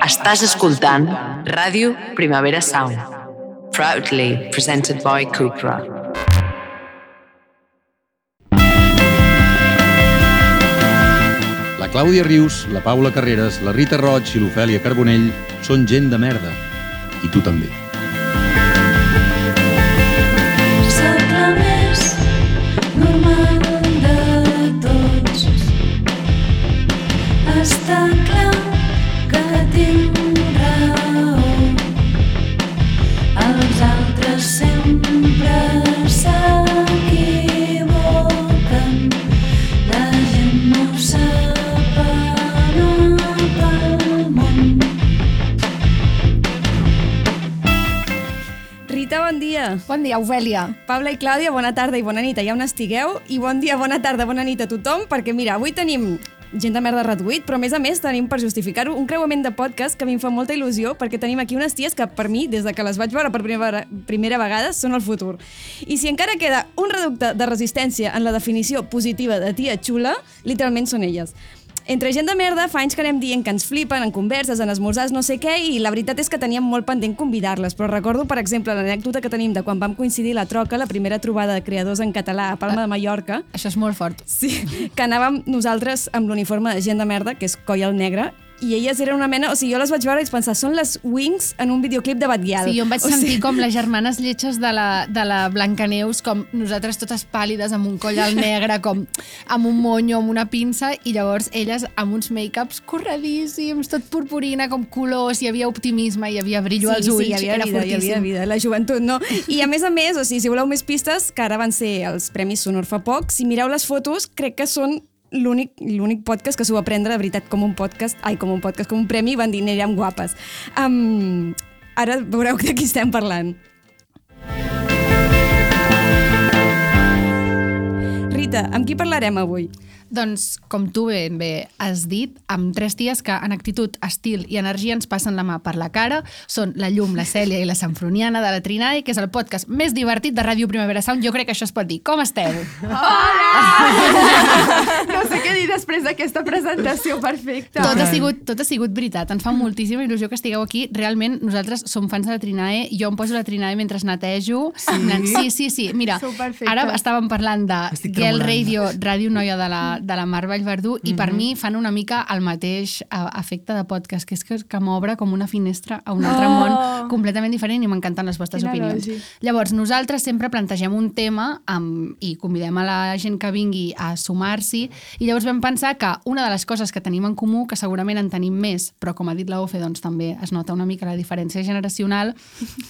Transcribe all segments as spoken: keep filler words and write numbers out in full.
Estàs escoltant Ràdio Primavera Sound, proudly presented by Cupra. La Clàudia Rius, la Paula Carreras, la Rita Roig i l'Ofèlia Carbonell són gent de merda. I tu també. Soc la més normal de tots. Està clar que tinc raó. Els altres sempre s'equivoquen. La gent no ho sap anar pel món. Rita, bon dia. Bon dia, Ofèlia. Paula i Clàudia, bona tarda i bona nit, allà on estigueu. I bon dia, bona tarda, bona nit a tothom, perquè mira, avui tenim gent de merda reduït, però a més a més tenim, per justificar-ho, un creuament de podcast que a mi em fa molta il·lusió, perquè tenim aquí unes ties que per mi, des de que les vaig veure per primera, primera vegada, són el futur. I si encara queda un reducte de resistència en la definició positiva de tia xula, literalment són elles. Entre gent de merda, fa anys que anem dient que ens flipen en converses, en esmorzars, no sé què, i la veritat és que teníem molt pendent convidar-les, però recordo, per exemple, l'anècdota que tenim de quan vam coincidir la troca, la primera trobada de creadors en català a Palma de Mallorca. Això és molt fort. Sí, que anàvem nosaltres amb l'uniforme de gent de merda, que és coll al negre, i elles eren una mena... O sigui, jo les vaig veure i vaig pensar, són les Wings en un videoclip de Batguial. Sí, jo em vaig o sentir sigui... com les germanes lletges de la, de la Blancaneus, com nosaltres totes pàl·lides, amb un coll al negre, com amb un monyo, amb una pinça, i llavors elles amb uns make-ups corredíssims, tot purpurina, com colors, hi havia optimisme, hi havia brillo sí, als ulls, sí, hi havia era vida, fortíssim. Hi havia vida, la joventut, no? I a més a més, o sigui, si voleu més pistes, que ara van ser els Premis Sonor fa poc, si mireu les fotos, crec que són l'únic l'únic podcast que s'ho va prendre de veritat com un podcast, ai, com un podcast, com un premi, i van dir, anirem guapes. Um, ara veureu de qui estem parlant. Rita, amb qui parlarem avui? Doncs, com tu ben bé has dit, amb tres ties que en actitud, estil i energia ens passen la mà per la cara, són la Llum, la Cèlia i la Sanfroniana de la Trinae, que és el podcast més divertit de Ràdio Primavera Sound. Jo crec que això es pot dir. Com esteu? Hola! No sé què dir després d'aquesta presentació perfecta. Tot ha sigut, tot ha sigut veritat. Ens fa moltíssima il·lusió que estigueu aquí. Realment, nosaltres som fans de la Trinae. Jo em poso la Trinae mentre netejo. Sí? Sí, sí, sí. Mira, ara estàvem parlant de Girl Radio, Ràdio Noia de la, de la Mar Vallverdú, i per mi fan una mica el mateix efecte de podcast, que és que, que m'obre com una finestra a un altre oh. món completament diferent, i m'encanten les vostres Quina opinions. Lògic. Llavors, nosaltres sempre plantegem un tema amb, i convidem a la gent que vingui a sumar-s'hi, i llavors vam pensar que una de les coses que tenim en comú, que segurament en tenim més, però com ha dit la Ofe, doncs també es nota una mica la diferència generacional,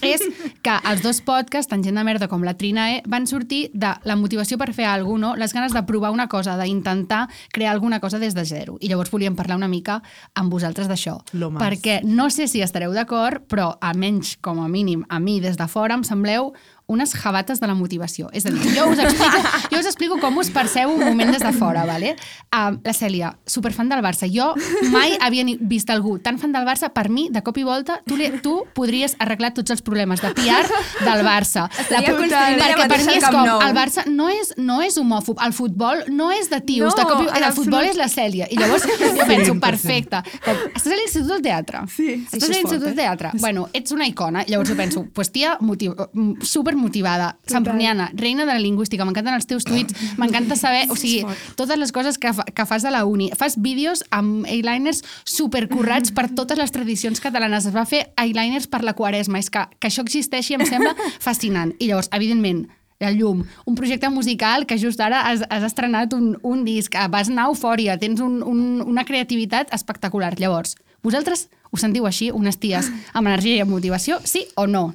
és que els dos podcasts, tant Gent de Merda com la Trinae, van sortir de la motivació per fer alguna cosa, no? Les ganes de provar una cosa, d'intentar crear alguna cosa des de zero. I llavors volíem parlar una mica amb vosaltres d'això. Perquè no sé si estareu d'acord, però almenys, com a mínim, a mi des de fora em sembleu unes jabates de la motivació. És a dir, jo us explico, jo us explico com us perceu un moment des de fora, vale? Uh, la Cèlia, superfan del Barça. Jo mai havia vist algú tan fan del Barça. Per mi, de cop i volta, tu, li, tu podries arreglar tots els problemes de P R del Barça. La, perquè per mi és com, el Barça no és, no és homòfob, el futbol no és de tios, no, de cop i, el futbol és la Cèlia. I llavors jo penso, perfecte. Com, estàs a l'Institut del Teatre? Sí. Estàs a l'Institut del Teatre? Bueno, ets una icona. Llavors jo penso, pues tia, motiv, super motivada, Sanfroniana, reina de la lingüística, m'encanten els teus tuits, m'encanta saber, o sigui, totes les coses que, fa, que fas a la uni. Fas vídeos amb eyeliners supercurrats per totes les tradicions catalanes. Es va fer eyeliners per la Quaresma. És que, que això existeixi em sembla fascinant. I llavors, evidentment, La Llum, un projecte musical que just ara has, has estrenat un, un disc, vas anar a Eufòria, tens un, un, una creativitat espectacular. Llavors, vosaltres us sentiu així, unes ties amb energia i amb motivació, sí o no?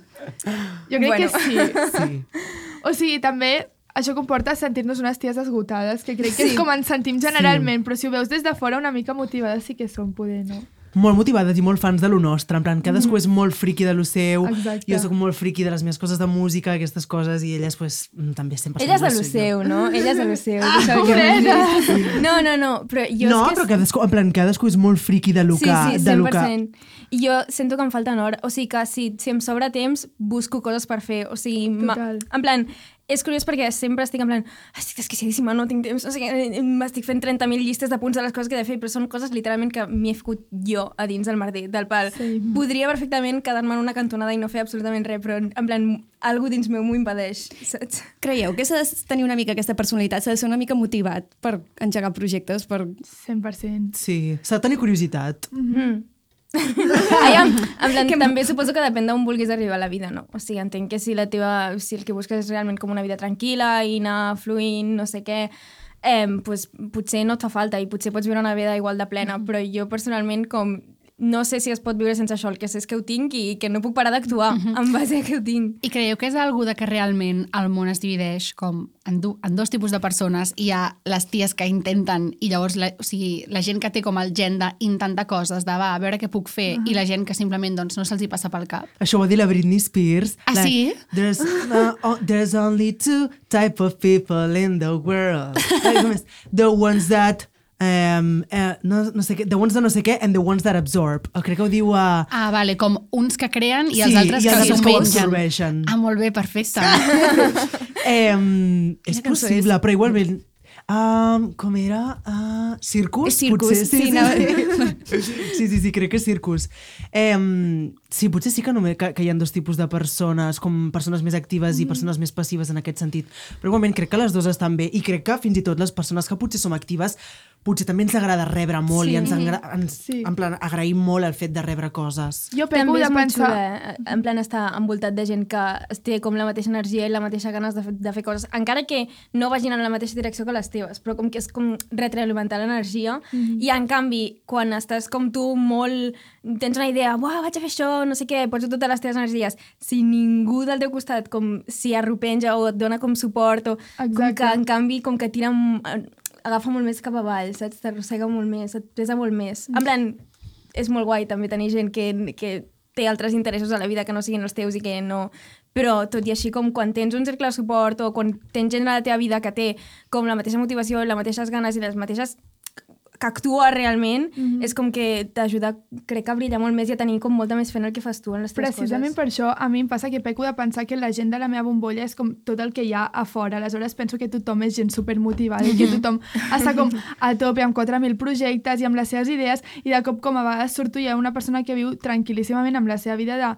Jo crec bueno. que sí. sí. O sigui, també això comporta sentir-nos unes ties esgotades, que crec que sí. és com ens sentim generalment, sí. però si ho veus des de fora una mica motivades sí que som, poder, no? Molt motivades i molt fans de lo nostre, en plan, cadascú mm. és molt friqui de lo seu, Exacte. Jo soc molt friqui de les meves coses de música, aquestes coses, i elles pues, també estem passant. Elles de lo seu, no? Elles de lo seu. Ah, que no, no, no, però jo no, és que... però cadascú, en plan, cadascú és molt friqui de lo que... Sí, sí, cent per cent. I jo sento que em falten hores, o sigui que si, si em sobra temps busco coses per fer, o sigui, ma... en plan... és curiós perquè sempre estic en plan, estic desquiciadíssima, no tinc temps, no sé què, m'estic fent trenta mil llistes de punts de les coses que he de fer, però són coses literalment que m'hi he ficat jo a dins del merder, del pal. Sí. Podria perfectament quedar-me en una cantonada i no fer absolutament res, però en plan, algú dins meu m'ho impedeix, saps? Creieu que s'ha de tenir una mica aquesta personalitat, s'ha de ser una mica motivat per engegar projectes, per... cent per cent. Sí, s'ha de tenir curiositat. Mm-hmm. Ai, en, en plan, que també suposo que depèn d'on vulguis arribar a la vida, no? O sigui, entenc que si la teva, si el que busques és realment com una vida tranquil·la i anar fluint, no sé què, eh, pues, potser no et fa falta i potser pots viure una vida igual de plena, mm. però jo personalment com no sé si es pot viure sense això, el que sé és que ho tinc i que no puc parar d'actuar mm-hmm. en base a que ho tinc. I creieu que és algú de que realment el món es divideix com en, du en dos tipus de persones? Hi ha les ties que intenten i llavors la, o sigui, la gent que té com el gen d'intentar coses, de va, a veure què puc fer, uh-huh. i la gent que simplement doncs, no se'ls hi passa pel cap. Això ho va dir la Britney Spears. Ah, like, sí? There's, uh, oh, there's only two type of people in the world. The ones that Um, uh, no, no sé què, the ones de no sé què and the ones that absorb. Oh, crec que ho diu a... Uh... Ah, vale, com uns que creen i sí, els altres i els que altres s'ho mengen. Ah, molt bé, perfecte. um, és possible, és... però igualment... Um, com era? Uh, circus? És circus, potser? sí. Sí, No. sí. sí, sí, sí, crec que és circus. Um, sí, potser sí que, només, que, que hi ha dos tipus de persones, com persones més actives mm. i persones més passives en aquest sentit. Però igualment crec que les dues estan bé i crec que fins i tot les persones que potser som actives potser també ens agrada rebre molt sí. i ens, ens sí. en plan, agraïm molt el fet de rebre coses. Jo peco de pensar... Xuda, en plan estar envoltat de gent que té com la mateixa energia i la mateixa ganes de, de fer coses, encara que no vagin en la mateixa direcció que les teves, però com que és com retroalimentar l'energia mm-hmm. i en canvi, quan estàs com tu molt... tens una idea, uah, vaig a fer això, no sé què, pots totes les teves energies, si ningú del teu costat com s'hi arropenja o et dona com suport o Exacte. com que en canvi com que tira... agafa molt més cap avall, saps? T'arrossega molt més, et pesa molt més. En plan, és molt guai també tenir gent que, que té altres interessos a la vida que no siguin els teus i que no... Però tot i així, com quan tens un cercle de suport o quan tens gent a la teva vida que té com la mateixa motivació, les mateixes ganes i les mateixes... que actua realment, mm-hmm. és com que t'ajuda, crec que a brillar molt més i a tenir com molta més fent el que fas tu en les teves Precisament coses. per això a mi em passa que peco de pensar que la gent de la meva bombolla és com tot el que hi ha a fora. Aleshores penso que tothom és gent supermotivada i que tothom està com a tope amb quatre mil projectes i amb les seves idees i de cop com a vegades surto i hi ha una persona que viu tranquil·líssimament amb la seva vida de...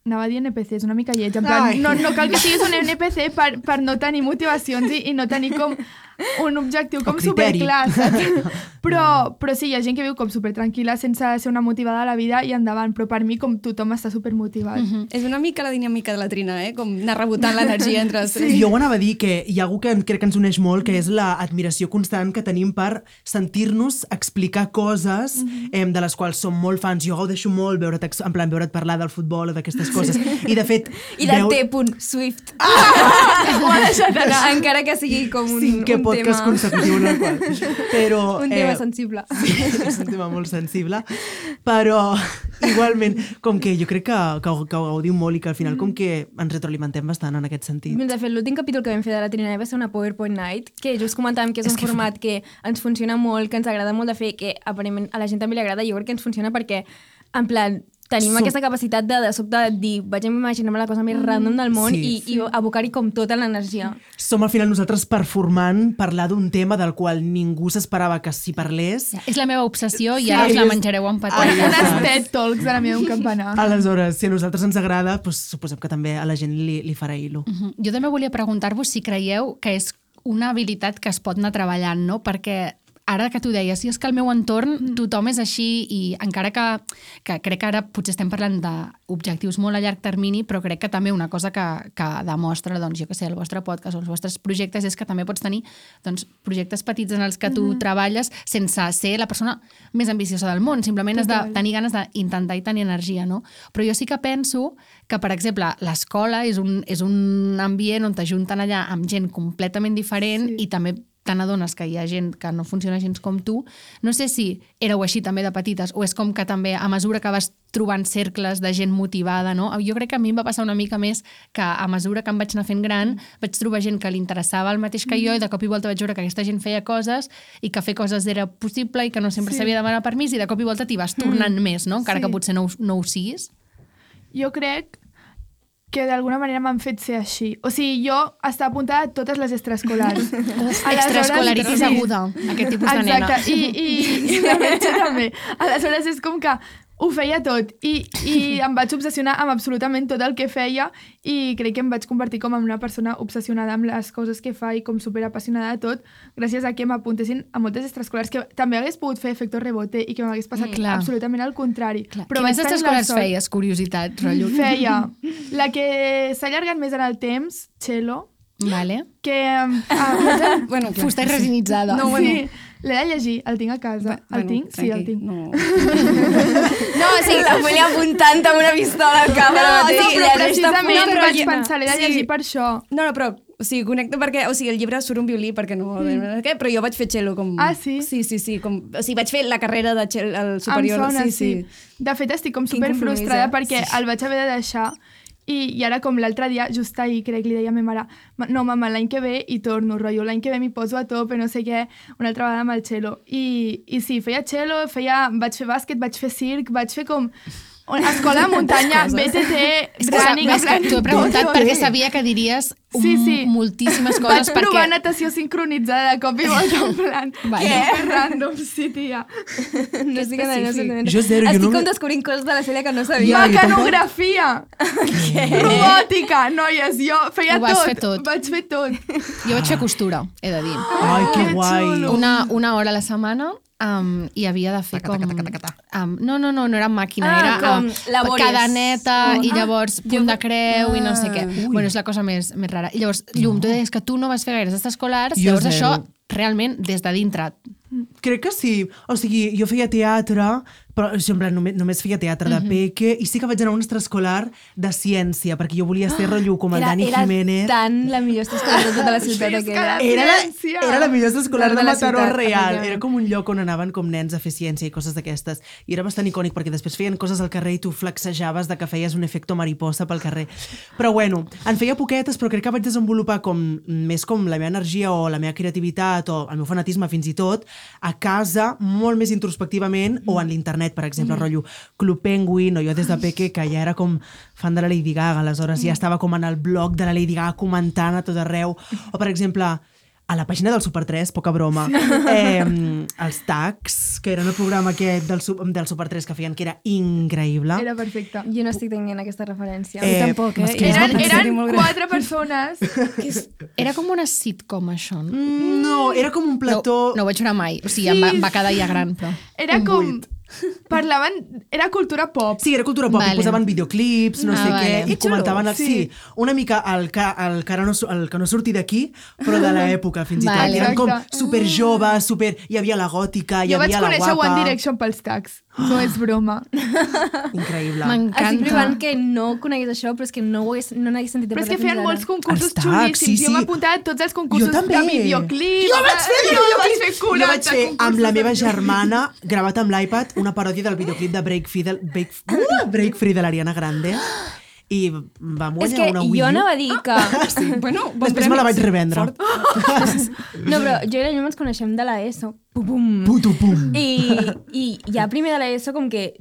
Anava a dir N P C, és una mica lleig. En plan, no, no cal que siguis un N P C per, per no tenir motivacions i, i no tenir com un objectiu com superclar, saps? Però, però sí, hi ha gent que viu com supertranquil·la sense ser una motivada a la vida i endavant, però per mi com tothom està supermotivat. Mm-hmm. És una mica la dinàmica de la Trina, eh? Com anar rebotant l'energia entre els tres. Sí. Jo ho anava a dir que hi ha algú que crec que ens uneix molt, que és l'admiració constant que tenim per sentir-nos explicar coses mm-hmm. eh, de les quals som molt fans. Jo gaudeixo molt veure't, en plan, veure't parlar del futbol o d'aquestes coses. I de fet... I del veu... T. Swift. Ah! Ho ha deixat anar. Encara que sigui com un, Cinquè un podcast tema... consecutiu en el qual. Però, un tema eh, sensible. Sí, és un tema molt sensible. Però, igualment, com que jo crec que, que, que ho gaudim molt i que al final com que ens retroalimentem bastant en aquest sentit. De fet, l'últim capítol que vam fer de la Trinidad va ser una PowerPoint Night, que just comentàvem que és, és un que format que ens funciona molt, que ens agrada molt de fer, que aparentment a la gent també li agrada. Jo crec que ens funciona perquè, en plan, tenim so... aquesta capacitat de, de sobte de dir, vaig a imaginar-me la cosa més random del món sí, i, sí. i abocar-hi com tota l'energia. Som al final nosaltres performant parlar d'un tema del qual ningú s'esperava que s'hi parlés. Ja, és la meva obsessió i ara sí, us la menjareu amb patates. Unes TED Talks de la meva un campanar. Aleshores, si a nosaltres ens agrada, doncs, suposem que també a la gent li, li farà il·lo. Uh -huh. Jo també volia preguntar-vos si creieu que és una habilitat que es pot anar treballant, no? Perquè ara que tu deies, sí, és que al meu entorn tothom és així i encara que, que crec que ara potser estem parlant d'objectius molt a llarg termini, però crec que també una cosa que, que demostra, doncs, jo que sé, el vostre podcast o els vostres projectes és que també pots tenir doncs, projectes petits en els que tu mm-hmm. treballes sense ser la persona més ambiciosa del món, simplement Total. Has de tenir ganes d'intentar i tenir energia, no? Però jo sí que penso que, per exemple, l'escola és un, és un ambient on t'ajunten allà amb gent completament diferent sí. i també te n'adones que hi ha gent que no funciona gens com tu. No sé si éreu així també de petites o és com que també a mesura que vas trobant cercles de gent motivada, no? Jo crec que a mi em va passar una mica més que a mesura que em vaig anar fent gran vaig trobar gent que li interessava el mateix que jo i de cop i volta vaig veure que aquesta gent feia coses i que fer coses era possible i que no sempre s'havia sí. de demanar permís i de cop i volta t'hi vas tornant mm. més, no? Encara sí. que potser no, no ho siguis. Jo crec que d'alguna manera m'han fet ser així. O sigui, jo estava apuntada a totes les extraescolars. Extraescolaritis sí. aguda, aquest tipus de nena. Exacte, i, i, i la metge també. Aleshores és com que ho feia tot i, i em vaig obsessionar amb absolutament tot el que feia i crec que em vaig convertir com en una persona obsessionada amb les coses que fa i com superapassionada de tot, gràcies a que m'apuntessin a moltes extraescolars que també hagués pogut fer efecte rebote i que m'hagués passat Mm, absolutament al contrari. Clar. Però Quines vaig tenir la extraescolars sort- feies? Curiositat, rotllo. Feia la que s'ha allargat més en el temps, cello, Vale. que... Um, ah, Bueno, clar, Fusta resinitzada. no, No, bueno. sí, l'he de llegir, el tinc a casa. El Bueno, tinc? Sí, el tranquil, tinc. No. No, o sigui, la Feli apuntant amb una pistola al cap. No, ara no, mateix, però i ara està precisament punt de vaig rellenar. pensar, l'he de Sí. llegir per això. No, no, però o sigui, connecto perquè, o sigui, el llibre surt un violí perquè no... Mm. Què? Però jo vaig fer cello com... Ah, sí? Sí, sí, sí. Com, o sigui, vaig fer la carrera de cello el superior. Em sona, sí, sí. sí. De fet, estic com Quin super compromís, frustrada eh? perquè Sí. el vaig haver de deixar i, i ara com l'altre dia, just ahir, crec, li deia a ma mare "Ma- no, mama, l'any que ve hi torno, rotllo, l'any que ve m'hi poso a tope, no sé què, una altra vegada amb el cello. I, i sí, feia cello, feia, vaig fer bàsquet, vaig fer circ, vaig fer com escola de muntanya, B T T, És que, running, ves que t'ho he preguntat tot. perquè sabia que diries un, Sí, sí. moltíssimes Vaig coses provar perquè... natació sincronitzada de cop i volta, en plan, Vale. què? Random, sí, tia. No estic en no sé Jo zero, jo Estic no com me- descobrint coses de la Cèlia que no sabia. Ja, jo tampoc. Mecanografia! Robòtica! Noies, jo feia Ho vas tot. fer tot. Vaig fer tot. Jo vaig fer costura, he de dir. Ai, que que guai. xulo. Una, una hora a la setmana um, i havia de fer com... Um, no, no, no, no era màquina, Ah, era com um, labores. cadeneta Oh. i llavors punt de creu i no sé què. Ui. Bueno, és la cosa més, més rara. I llavors, Llum, tu deies que tu no vas fer gaires extraescolars, Jo llavors zero. això realment des de dintre. Crec que sí. O sigui, jo feia teatre, però jo, en plan, només, només feia teatre de peque, i sí que vaig anar a un extraescolar de ciència, perquè jo volia ser rotllo com el Era, Dani era Jiménez. tan la millor escola de tota la ciutat Visca aquella. la- Era la, Ciència. era la millor escolar De de la Mataró ciutat, real. efectivament. Era com un lloc on anaven com nens a fer ciència i coses d'aquestes. I era bastant icònic perquè després feien coses al carrer i tu flexejaves de que feies un efecte mariposa pel carrer. Però bueno, en feia poquetes, però crec que vaig desenvolupar com més com la meva energia o la meva creativitat o el meu fanatisme fins i tot a casa, molt més introspectivament, o en l'internet, per exemple, rotllo Club Penguin, o jo des de peque, que ja era com fan de la Lady Gaga, aleshores ja estava com en el blog de la Lady Gaga comentant a tot arreu. O, per exemple, a la pàgina del Super tres, poca broma, eh, els tags, que eren el programa aquest del, Su- del Super tres que feien, que era increïble. Era perfecte. Jo no estic tenint aquesta referència. Eh, tampoc, eh? masclisme Eren, toxic. eren molt gran. quatre persones. Era com una sitcom, això. No, Mm, No, era com un plató... no ho vaig veure mai. O sigui, em va, em va quedar ja gran, però... Era Un com... buit. Parlaven... Era cultura pop. Sí, era cultura pop, Vale. i posaven videoclips, no Ah, sé vale. què, i Que xulo. comentaven... El, Sí. sí, una mica el que, el, que ara no, su- el que no surti d'aquí, però de l'època, fins i tot. Vale. I eren com Exacte. super joves, super... Hi havia la gòtica, hi Jo vaig havia la conèixer guapa... One Direction pels tags. No és broma. Increïble. Estic M'encanta. provant que no conegués això, però és que no, ho hagués, no n'hagués sentit a Però és que parlar fins feien ara. molts concursos Els tags, xulíssims. sí, Jo sí. m'apuntava a tots els concursos Jo també. de videoclip. Jo vaig fer jo vaig fer Jo vaig quaranta fer amb concursos la meva de- germana, gravat amb l'iPad, una paròdia del videoclip de Break Free de, Break, uh, Break Free de l'Ariana Grande, i vam És guanyar que una Wii jo U. anava a dir que... Sí, bueno, bon Després premi. me la vaig revendre. Fort. No, però jo i la Llum ens coneixem de l'ESO. Pum, pum. Puto pum. I, I ja primer de l'ESO com que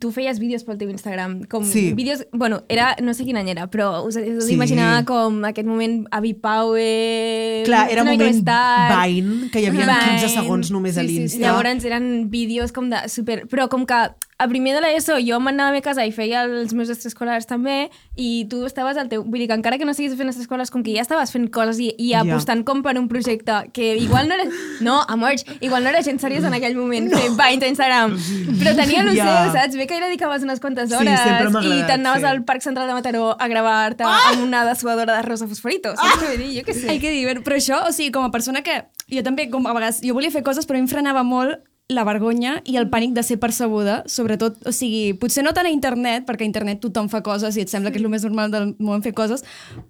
tu feies vídeos pel teu Instagram. Com Sí. vídeos... Bueno, era... No sé quin any era, però us, us Sí. imaginava com aquest moment Avi Power... Clar, era una mica moment més tard. Vine, que hi havia Vine. quinze segons només a Sí, sí, sí. l'Insta. Llavors eren vídeos com de super... Però com que a primer de l'ESO jo m'anava a casa i feia els meus extraescolars també i tu estaves al teu... Vull dir que encara que no estiguis fent extraescolars, com que ja estaves fent coses i, i Ja. apostant com per un projecte que igual no era... No, amors, igual no era gent seriosa en aquell moment, no. Fent Vines a Instagram. Però tenia il·lusió, Ja. saps? Bé que hi dedicaves unes quantes Sí, hores sempre m'ha i agradat, t'anaves sí. al Parc Central de Mataró a gravar-te ah! amb una dessuadora de rosa fosforito. Saps què vull dir? Jo què sé. Ai, que divert. Però això, o sigui, com a persona que... Jo també, com a vegades, jo volia fer coses, però a mi em frenava molt la vergonya i el pànic de ser percebuda, sobretot, o sigui, potser no tant a internet, perquè a internet tothom fa coses i et sembla que és el més normal del món fer coses,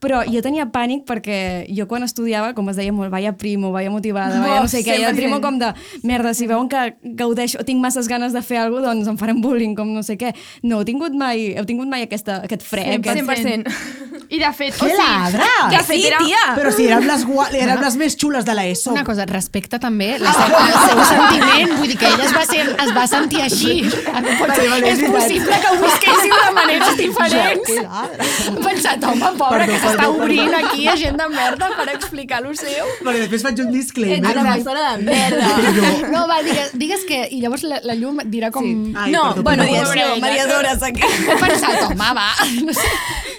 però jo tenia pànic perquè jo quan estudiava, com es deia molt, vaya primo, vaya motivada, vaya no sé què, i el primo com de, merda, si veuen que gaudeixo, tinc masses ganes de fer alguna cosa, doncs em faran bullying, com no sé què. No heu tingut mai, heu tingut mai aquesta, aquest fre? cent per Aquest... cent. I de fet, Que ladra! de fet, era... Però si érem les, gua... érem les més xules de l'ESO. Una cosa, respecta també la seva, el seu sentiment, vull dir que ella es va, ser, es va sentir així. Vale, vale, és és possible que ho visquéssiu de maneres diferents. Que ladra. He pensat, home, pobra, Perdó, que s'està perdó, obrint perdó. aquí a gent de merda per explicar lo seu. Perquè després faig un disclaimer. Ets una persona de merda. No, va, digues, digues que... I llavors la, la Llum dirà com... Sí. Ai, No, perdó, bueno, perdó, mediació, perdó. mediadores aquí. He pensat, home, va. No sé.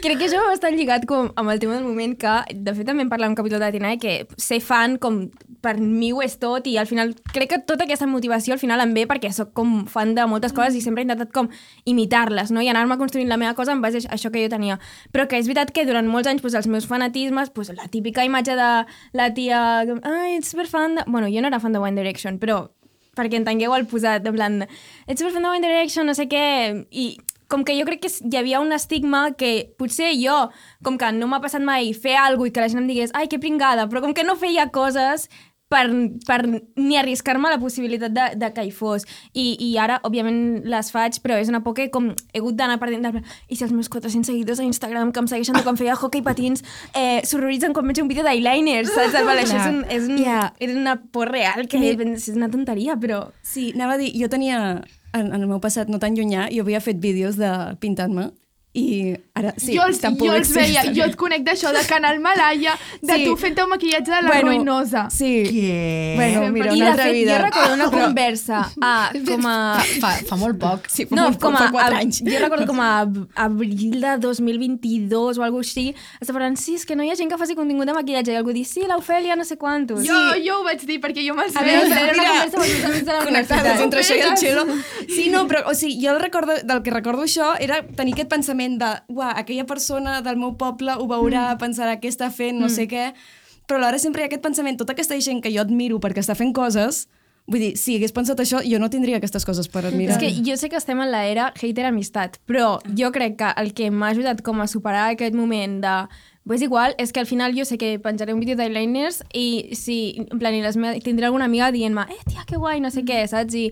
Crec que això va estar lligat com amb el tema del moment que, de fet, també en parlar en un capítol de Tinae, que ser fan com per mi ho és tot i al final crec que tota aquesta motivació al final em ve perquè sóc com fan de moltes coses i sempre he intentat com imitar-les, no? I anar-me construint la meva cosa en base a això que jo tenia. Però que és veritat que durant molts anys pues, els meus fanatismes, pues, la típica imatge de la tia ai, ets superfan de... Bueno, jo no era fan de One Direction, però perquè entengueu el posat, en plan, ets superfan de One Direction, no sé què, i com que jo crec que hi havia un estigma que potser jo, com que no m'ha passat mai fer alguna cosa i que la gent em digués ai, que pringada, però com que no feia coses per, per ni arriscar-me la possibilitat de, de que hi fos. I, I ara, òbviament, les faig, però és una por que com he hagut d'anar perdent de... I si els meus quatre-cents seguidors a Instagram que em segueixen de quan feia hockey patins eh, s'horroritzen quan veig un vídeo d'eyeliners, saps? Vale, això és, un, és, un, yeah. és una por real, que és una tonteria, però... Sí, anava a dir, jo tenia, en, en el meu passat no tan llunyà, jo havia fet vídeos de pintant-me i ara sí, jo els, tampoc jo els veia, existen. jo et conec d'això, de Canal Malaya, de Sí. tu fent el maquillatge de la Bueno, ruïnosa. Sí. Què? Bueno, mira, I una de altra fet, vida. jo recordo una conversa a, com a... Fa, fa molt poc. Sí, fa No, molt com poc, a, fa quatre a, anys. jo recordo com a abril de dos mil vint-dos o alguna cosa així, estava parlant, sí, és que no hi ha gent que faci contingut de maquillatge, i algú dir, sí, l'Ofèlia no sé quantos. Jo, jo ho vaig dir perquè jo me'ls A veia. veure, era una Mira, conversa amb els meus amics de la Connectades universitat. entre això i el xelo. Sí, no, però o sigui, jo el recordo, del que recordo això era tenir aquest pensament de, uah, aquella persona del meu poble ho veurà, mm. pensarà què està fent, no mm. sé què, però alhora sempre hi ha aquest pensament, tota aquesta gent que jo admiro perquè està fent coses, vull dir, si hagués pensat això, jo no tindria aquestes coses per admirar. És que jo sé que estem en l'era hater-amistat, però jo crec que el que m'ha ajudat com a superar aquest moment de pues igual, és que al final jo sé que penjaré un vídeo d'eyeliners i si, en plan, i les meves, tindré alguna amiga dient-me, eh, tia, que guai, no sé què, saps? I,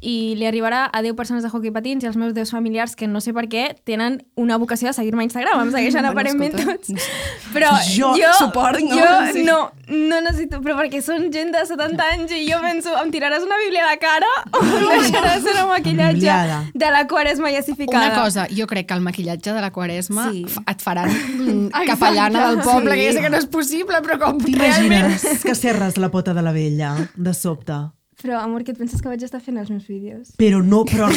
i li arribarà a deu persones de hockey patins i als meus deu familiars que no sé per què tenen una vocació de seguir-me a Instagram, em segueixen Bueno, aparentment escolta, tots. Però Jo jo, suport, no? jo Sí. no, no necessito, però perquè són gent de setanta anys i jo penso, em tiraràs una bíblia a la cara o em deixaràs una maquillatge Humiliada. de la quaresma jassificada. Una cosa, jo crec que el maquillatge de la Quaresma Sí. sí. et faran mm, capellana del poble, sí. que ja sé que no és possible, però com realment... T'imagines que serres la pota de la vella, de sobte? Però, amor, què et penses que vaig estar fent els meus vídeos? Però no, però,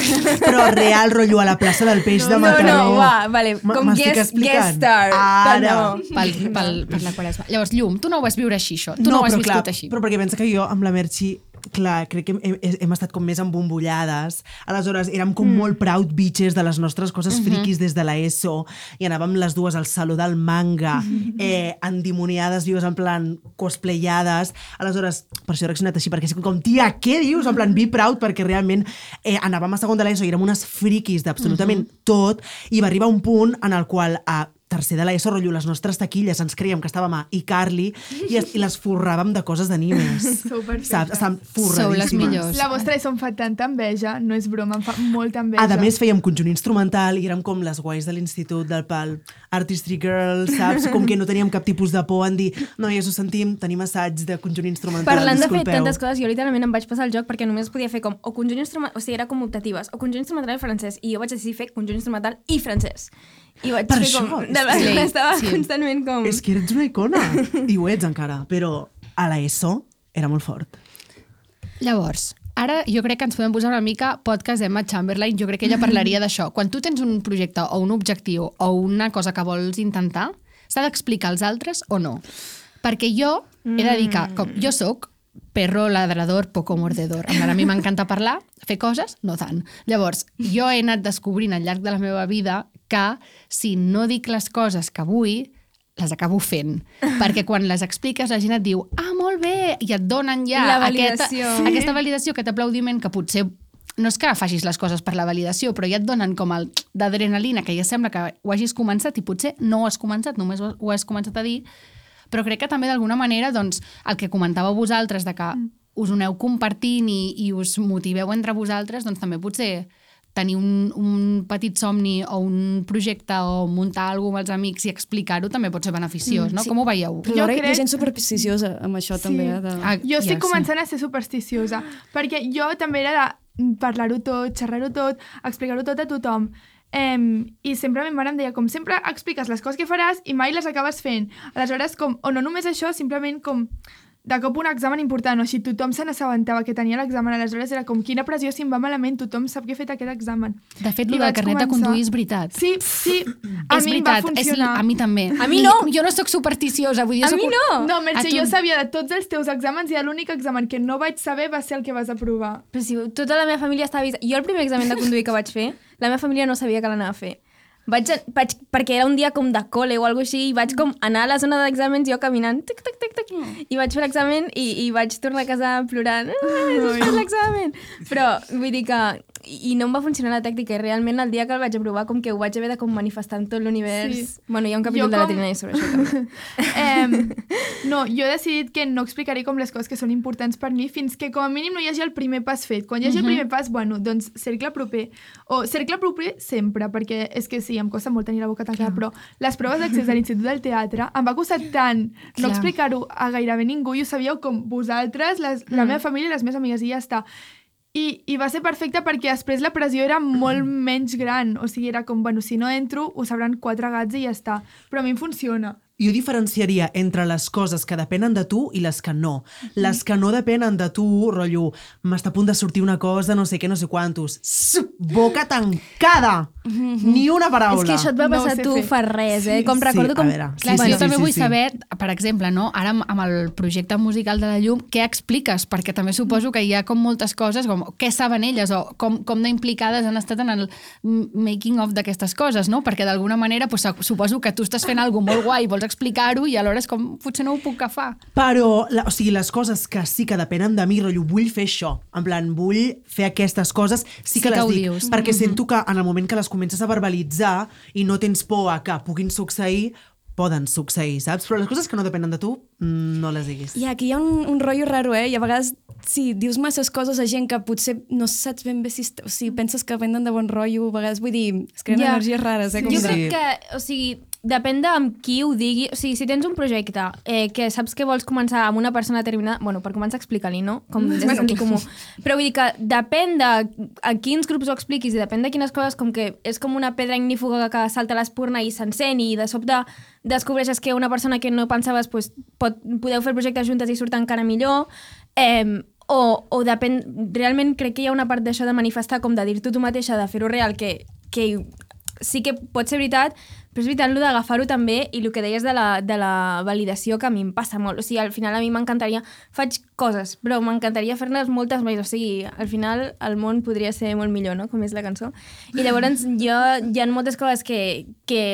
però real rotllo a la plaça del Peix de No, Mataró. no, va, vale, M- com m'estic guest, explicant. guest star. Ara. No. Pel, pel, per la Quaresma. Llavors, Llum, tu no ho vas viure així, això. Tu no, no ho has però viscut clar, així. però perquè pensa que jo amb la Merchi clar, crec que hem, hem, hem estat com més embombollades. Aleshores, érem com mm. molt proud bitches de les nostres coses Mhm. friquis des de l'ESO i anàvem les dues al saló del manga, eh, endimoniades, vives en plan cosplayades. Aleshores, per això he reaccionat així, perquè és com, tia, què dius? En plan, be proud, perquè realment eh, anàvem a segon de l'ESO i érem unes friquis d'absolutament tot i va arribar un punt en el qual a tercer de l'ESO, rotllo, les nostres taquilles ens creiem que estàvem a iCarly i, es, i les forràvem de coses d'animes. Sou perfectes. Saps? Estàvem Sou les forradíssimes. millors. La vostra ESO em fa tanta enveja, no és broma, em fa molta enveja. A més, fèiem conjunt instrumental i érem com les guais de l'institut del pal Artistry Girls, saps? Com que no teníem cap tipus de por en dir noies, ho sentim, tenim assaig de conjunt instrumental, Parlant de fer disculpeu. tantes coses, jo literalment em vaig passar el joc perquè només podia fer com o conjunt instrumental, o sigui, era com optatives, o conjunt instrumental i francès, i jo vaig decidir fer conjunt instrumental i francès. I vaig Per fer això, com... és De, que- estava sí. constantment com... És que ets una icona, i ho ets encara, però a l'ESO era molt fort. Llavors, ara jo crec que ens podem posar una mica podcast d'Emma Chamberlain, jo crec que ella parlaria d'això. Quan tu tens un projecte o un objectiu o una cosa que vols intentar, s'ha d'explicar als altres o no? Perquè jo he de dir que, com jo sóc perro ladrador, poco mordedor. A mi m'encanta parlar, fer coses, no tant. Llavors, jo he anat descobrint al llarg de la meva vida que si no dic les coses que vull, les acabo fent. Perquè quan les expliques la gent et diu ah, molt bé, i et donen ja La aquesta, validació. aquesta validació, aquest aplaudiment que potser no és que facis les coses per la validació, però ja et donen com el d'adrenalina, que ja sembla que ho hagis començat i potser no ho has començat, només ho has començat a dir, però crec que també d'alguna manera doncs, el que comentàveu vosaltres de que us ho aneu compartint i, i us motiveu entre vosaltres, doncs també potser tenir un, un petit somni o un projecte o muntar alguna cosa amb els amics i explicar-ho també pot ser beneficiós, no? Sí. Com ho veieu? Però alhora crec- hi ha gent supersticiosa amb això, Sí. també. eh, De... Ah, Jo estic ja, començant a ser supersticiosa, perquè jo també era de parlar-ho tot, xerrar-ho tot, explicar-ho tot a tothom. Um, I sempre a mi mare em deia com sempre expliques les coses que faràs i mai les acabes fent. Aleshores, com, o no només això, simplement com de cop un examen important, o així tothom se n'assabentava que tenia l'examen, aleshores era com quina pressió si em va malament, tothom sap que he fet aquest examen. De fet, I el del vaig carnet de començar- conduir és veritat. Sí, sí, a és mi em va veritat, és, funcionar. a mi també. A mi I no. Jo no sóc supersticiosa, vull dir, jo A soc mi un- no! No, Merche, A tu- jo sabia de tots els teus exàmens i l'únic examen que no vaig saber va ser el que vas aprovar. Però si tota la meva família estava avisada... Jo el primer examen de conduir que vaig fer, la meva família no sabia que l'anava a fer. Vaig, vaig, perquè era un dia com de col·le o alguna cosa així, i vaig com anar a la zona d'exàmens jo caminant, tic, tic, tic, tic, i vaig fer l'examen i, i vaig tornar a casa plorant, ah, he fet l'examen. Però vull dir que... I no em va funcionar la tàctica, i realment el dia que el vaig aprovar com que ho vaig haver de com manifestar en tot l'univers. Sí. Bueno, hi ha un capítol Jo de la com- Trinidad sobre això també. Eh, no, jo he decidit que no explicaré com les coses que són importants per mi fins que com a mínim no hi hagi el primer pas fet. Quan hi hagi uh -huh. el primer pas, bueno, doncs cercle proper. O cercle proper sempre, perquè és que sí, em costa molt tenir la boca tancada, però les proves d'accés a l'Institut del Teatre em va costar tant no Clar. explicar-ho a gairebé ningú, i ho sabíeu com vosaltres, les, la meva família i les meves amigues, i ja està. I, I va ser perfecte perquè després la pressió era molt menys gran. O sigui, era com, bueno, si no entro, ho sabran quatre gats i ja està. Però a mi em funciona. Jo diferenciaria entre les coses que depenen de tu i les que no. Les que no depenen de tu, rotllo, m'està a punt de sortir una cosa, no sé què, no sé quantos. Sss, boca tancada! Ni una paraula. És que això et va No ho passar sé tu fer. fa res, eh? Com Sí, recordo a com... veure, Clar, Sí, sí, sí, jo també sí, vull sí. saber, per exemple, no? Ara amb, amb el projecte musical de la Llum, què expliques? Perquè també suposo que hi ha com moltes coses, com què saben elles o com, com d'implicades han estat en el making of d'aquestes coses, no? Perquè d'alguna manera pues, suposo que tu estàs fent alguna molt guai i vols explicar-ho i alhora és com, potser no ho puc agafar. Però, la, o sigui, les coses que sí que depenen de mi, rotllo, vull fer això. En plan, vull fer aquestes coses, sí que Sí que les ho dic. dius. Perquè sento que en el moment que les comences a verbalitzar i no tens por a que puguin succeir, poden succeir, saps? Però les coses que no depenen de tu, mm, no les diguis. I aquí hi ha un, un rotllo raro, eh? I a vegades, si dius masses coses a gent que potser no saps ben bé si, o si penses que venen de bon rotllo, a vegades, vull dir, es creen Ja. energies rares, eh? Com Jo de- crec que, o sigui, depèn de amb qui ho digui. O sigui, si tens un projecte eh, que saps que vols començar amb una persona determinada, bueno, per començar explica-li, no? Com des de sentit comú. Però vull dir que depèn de a quins grups ho expliquis i depèn de quines coses, com que és com una pedra ignífuga que salta a l'espurna i s'encén i de sobte descobreixes que una persona que no pensaves pues, pot, podeu fer projectes juntes i surt encara millor. Eh, o, o depèn... Realment crec que hi ha una part d'això de manifestar, com de dir-t'ho tu mateixa, de fer-ho real, que, que sí que pot ser veritat, però és veritat, el d'agafar-ho també, i el que deies de la, de la validació, que a mi em passa molt. O sigui, al final a mi m'encantaria... Faig coses, però m'encantaria fer-ne moltes més. O sigui, al final el món podria ser molt millor, no? Com és la cançó. I llavors jo, hi ha moltes coses que... que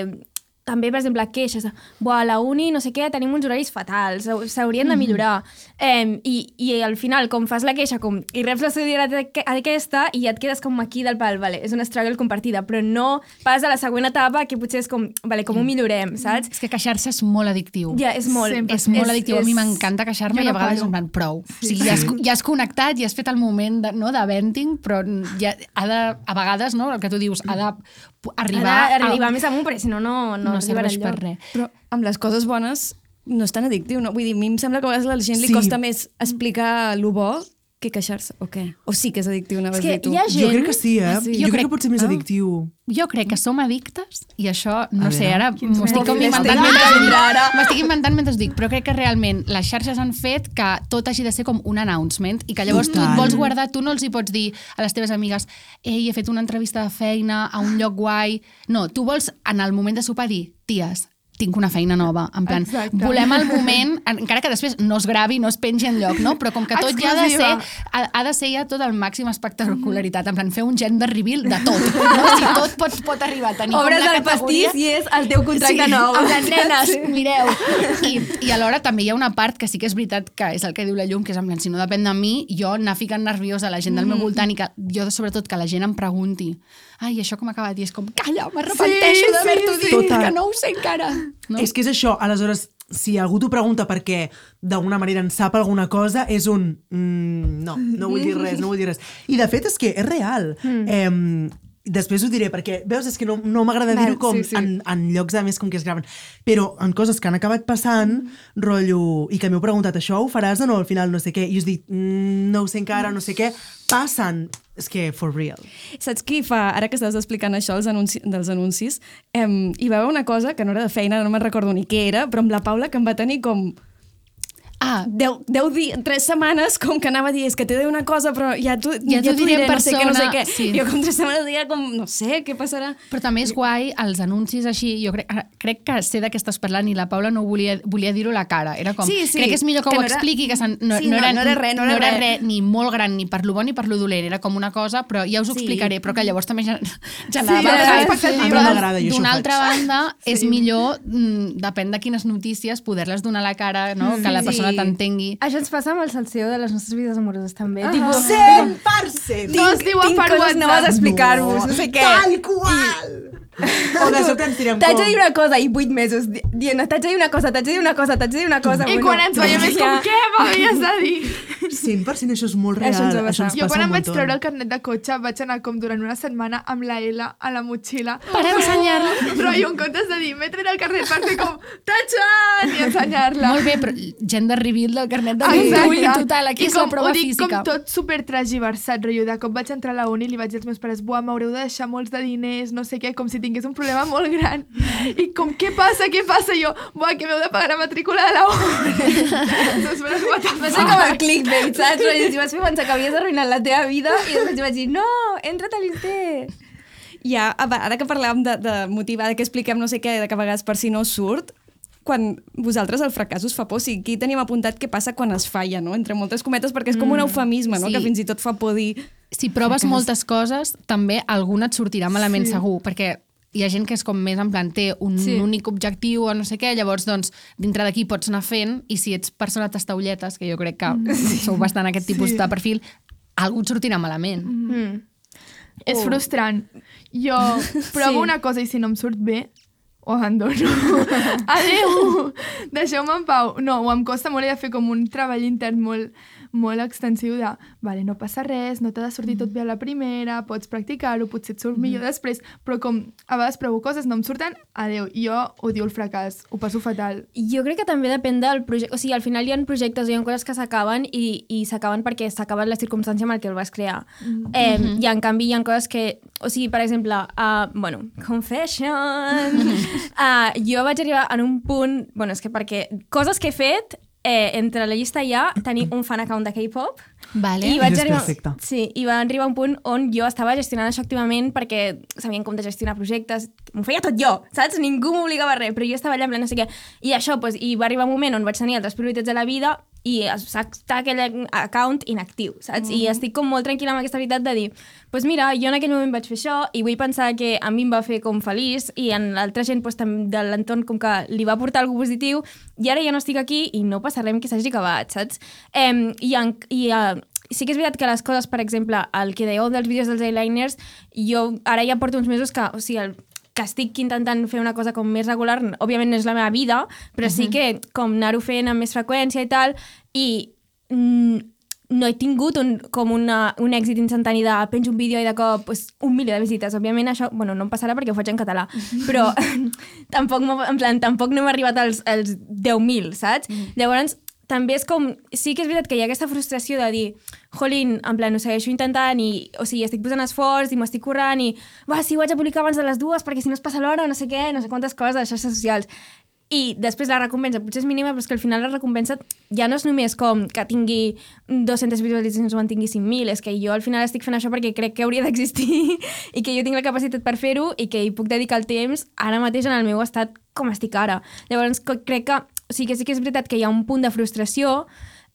també, per exemple, queixes. Buah, a la uni, no sé què, tenim uns horaris fatals, s'haurien de millorar. Eh, i, I al final, com fas la queixa com, i reps la solidaritat aquesta i ja et quedes com aquí del pal, vale, és una struggle compartida, però no pas a la següent etapa que potser és com, vale, com ho millorem, saps? És que queixar-se és molt addictiu. Ja, és molt. Sempre. És molt addictiu. A mi m'encanta queixar-me Jo i a no vegades paro. em van prou. Sí. O sigui, ja has, ja has connectat, ja has fet el moment de, no, de venting, però ja ha de, a vegades, no, el que tu dius, ha d'arribar... Ha d'arribar més amunt, perquè si no, no, no, no arribarà serveix per enlloc. res. Però amb les coses bones no és tan addictiu, no? Vull dir, a mi em sembla que a vegades a la gent li Sí. costa més explicar lo bo que queixar-se, o què? O sí que és addictiu, anaves És a que dir tu. hi ha Jo gent... crec que sí, eh? Ah, sí? Jo, Jo crec crec- que pot ser més Ah. addictiu. Jo crec que som addictes i això, no A sé, veure. ara m'ho estic com mòbil inventant estarà? mentre Vindrà ara. m'estic inventant mentre us dic, però crec que realment les xarxes han fet que tot hagi de ser com un announcement i que llavors tu Total. et vols guardar, tu no els hi pots dir a les teves amigues ei, he fet una entrevista de feina a un lloc guai. No, tu vols en el moment de sopar dir, ties, tinc una feina nova, en plan, Exacte. volem el moment, encara que després no es gravi, no es pengi enlloc, no? Però com que tot ja ha de ser, Exclusiva. ha, ha de ser ja tot el màxim espectacularitat, en plan, fer un gender reveal de tot, no? Si tot pot, pot arribar a tenir Obres com la el categoria... pastís i és el teu contracte nou. En plan, nenes, mireu. I, I alhora també hi ha una part que sí que és veritat que és el que diu la Llum, que és en plan, si no depèn de mi, jo anar ficant nerviosa a la gent del meu voltant i que jo, sobretot, que la gent em pregunti ai, això com ha acabat? I és com, calla, m'arrepenteixo Sí, d'haver-t'ho sí, dit, sí. que no ho sé encara. No? És que és això, aleshores, si algú t'ho pregunta perquè d'alguna manera en sap alguna cosa, és un... Mm, no, no vull dir res, no vull dir res. I de fet és que és real. Mm. Eh, després ho diré, perquè, veus, és que no, no m'agrada dir-ho com sí, sí. En, en llocs a més com que es graven, però en coses que han acabat passant, mm. rotllo, i que m'heu preguntat, això ho faràs o no al final, no sé què, i us dic, mm, no ho sé encara, no sé què, passen, és que for real. Saps qui fa, ara que estàs explicant això els anunci, dels anuncis, em, hi va haver una cosa que no era de feina, no me'n recordo ni què era, però amb la Paula que em va tenir com... Ah, deu, deu dir, tres setmanes com que anava a dir és que t'he de dir una cosa però ja t'ho Ja ja t'ho diré en no sé què, no sé persona, què. sí. Jo com tres setmanes dia com, no sé, què passarà? però també és guai els anuncis així, jo crec, crec que sé de què estàs parlant i la Paula no volia, volia dir-ho a la cara, era com, Sí, sí, crec que és millor que, que ho no era- expliqui, que sen, no, Sí, no, no, era, no era res, no era res. res ni molt gran ni per lo bo ni per lo dolent, era com una cosa, però ja us ho Sí. explicaré, però que llavors també gen- Sí, generava generava hype. expectatives. A mi m'agrada, jo això ho D'una faig. altra banda, és millor, mm, depèn de quines notícies, poder-les donar a la cara, no? que la persona Sí. t'entengui. Això ens passa amb el salseo de les nostres vides amoroses també. Ah. Tipo, cent per cent! No es diu tinc per coses noves a WhatsApp. explicar-vos, no sé què. Tal qual! O de sobte ens tirem T'haig com... de dir una cosa i vuit mesos di- dient t'haig de dir una cosa, t'haig de dir una cosa, t'haig de dir una cosa. I quan ens veiem és com, què m'havies de dir? cent per cent això és molt real. Això ens va Això ens passar. Jo passa quan un em vaig muntó. treure el carnet de cotxe vaig anar com durant una setmana amb la L a la motxilla. Per ensenyar-la. Però jo en comptes de dir, m'he tret el carnet per fer com, tatxan! I ensenyar-la. Molt bé, però gender reveal del carnet de Exacte. conduir, total, aquí I és la com, prova ho dic física. com tot super transversat, rotllo. De cop vaig entrar a la uni i li vaig dir als meus pares, buah, m'haureu de deixar molts de diners, no sé què, com si tingués un problema molt gran. I com, què passa, què passa? I jo, buah, que m'heu de pagar la matrícula de la uni. Doncs, però, what the Va ser com el clickbait, saps? I vas fer pensar que havies arruïnat la teva vida i després vaig dir, no, entra't a l'Inter. Ja, ara que parlàvem de, de motivar, de que expliquem no sé què, de que a vegades per si no surt, quan vosaltres el fracàs us fa por, o sigui, aquí tenim apuntat què passa quan es falla, no? Entre moltes cometes, perquè és com un eufemisme, no? sí. Que fins i tot fa por dir... Si proves moltes coses, també alguna et sortirà malament sí. segur, perquè hi ha gent que és com més en plan, té un sí. únic objectiu o no sé què, llavors, doncs, dintre d'aquí pots anar fent, i si ets persona tastaulletes, que jo crec que sí. sou bastant aquest tipus Sí. de perfil, algú et sortirà malament. Mm. És Oh. frustrant. Jo provo Sí. una cosa i si no em surt bé, ho abandono. Adéu! Deixeu-me en pau. No, o em costa molt, he de fer com un treball intern molt, molt extensiu de, vale, no passa res, no t'ha de sortir tot bé a la primera, pots practicar-ho, potser et surt millor després, però com a vegades provo coses, no em surten, adéu. Jo odio el fracàs, ho passo fatal. Jo crec que també depèn del projecte. O sigui, al final hi ha projectes, hi ha coses que s'acaben i, i s'acaben perquè s'ha acabat la circumstància amb el que el vas crear. Mm. Eh, mm -hmm. I en canvi hi ha coses que... O sigui, per exemple, uh, bueno, confession... uh, jo vaig arribar en un punt... Bueno, és que perquè... Coses que he fet, eh, entre la llista hi ha tenir un fan account de K-pop. Vale. I vaig És arribar, perfecte. sí, i va arribar un punt on jo estava gestionant això activament perquè sabien com de gestionar projectes, m'ho feia tot jo, saps? Ningú m'obligava a res, però jo estava allà en plan no sé què. I això, pues, i va arribar un moment on vaig tenir altres prioritats de la vida i està aquell account inactiu, saps? Mm -hmm. I estic com molt tranquil·la amb aquesta veritat de dir, pues mira, jo en aquell moment vaig fer això i vull pensar que a mi em va fer com feliç i en l'altra gent pues, de l'entorn com que li va portar alguna positiu i ara ja no estic aquí i no passa res que s'hagi acabat, saps? Eh, I, en, i uh, sí que és veritat que les coses, per exemple, el que dèieu dels vídeos dels eyeliners, jo ara ja porto uns mesos que, o sigui, el, que estic intentant fer una cosa com més regular, òbviament no és la meva vida, però uh-huh. sí que com anar-ho fent amb més freqüència i tal, i mm, no he tingut un, com una, un èxit instantani de penjo un vídeo i de cop pues, un milió de visites. Òbviament això, bueno, no em passarà perquè ho faig en català, però tampoc, en plan, tampoc no hem arribat als, als deu mil, saps? Uh-huh. Llavors, també és com... Sí que és veritat que hi ha aquesta frustració de dir jolín, en plan, ho segueixo intentant i, o sigui, estic posant esforç i m'estic currant i va, sí, ho haig de publicar abans de les dues perquè si no es passa l'hora, no sé què, no sé quantes coses de xarxes socials. I després la recompensa potser és mínima, però és que al final la recompensa ja no és només com que tingui dues-centes visualitzacions o en tingui cinc mil, és que jo al final estic fent això perquè crec que hauria d'existir i que jo tinc la capacitat per fer-ho i que hi puc dedicar el temps ara mateix en el meu estat com estic ara. Llavors crec que, o sigui, que sí que és veritat que hi ha un punt de frustració,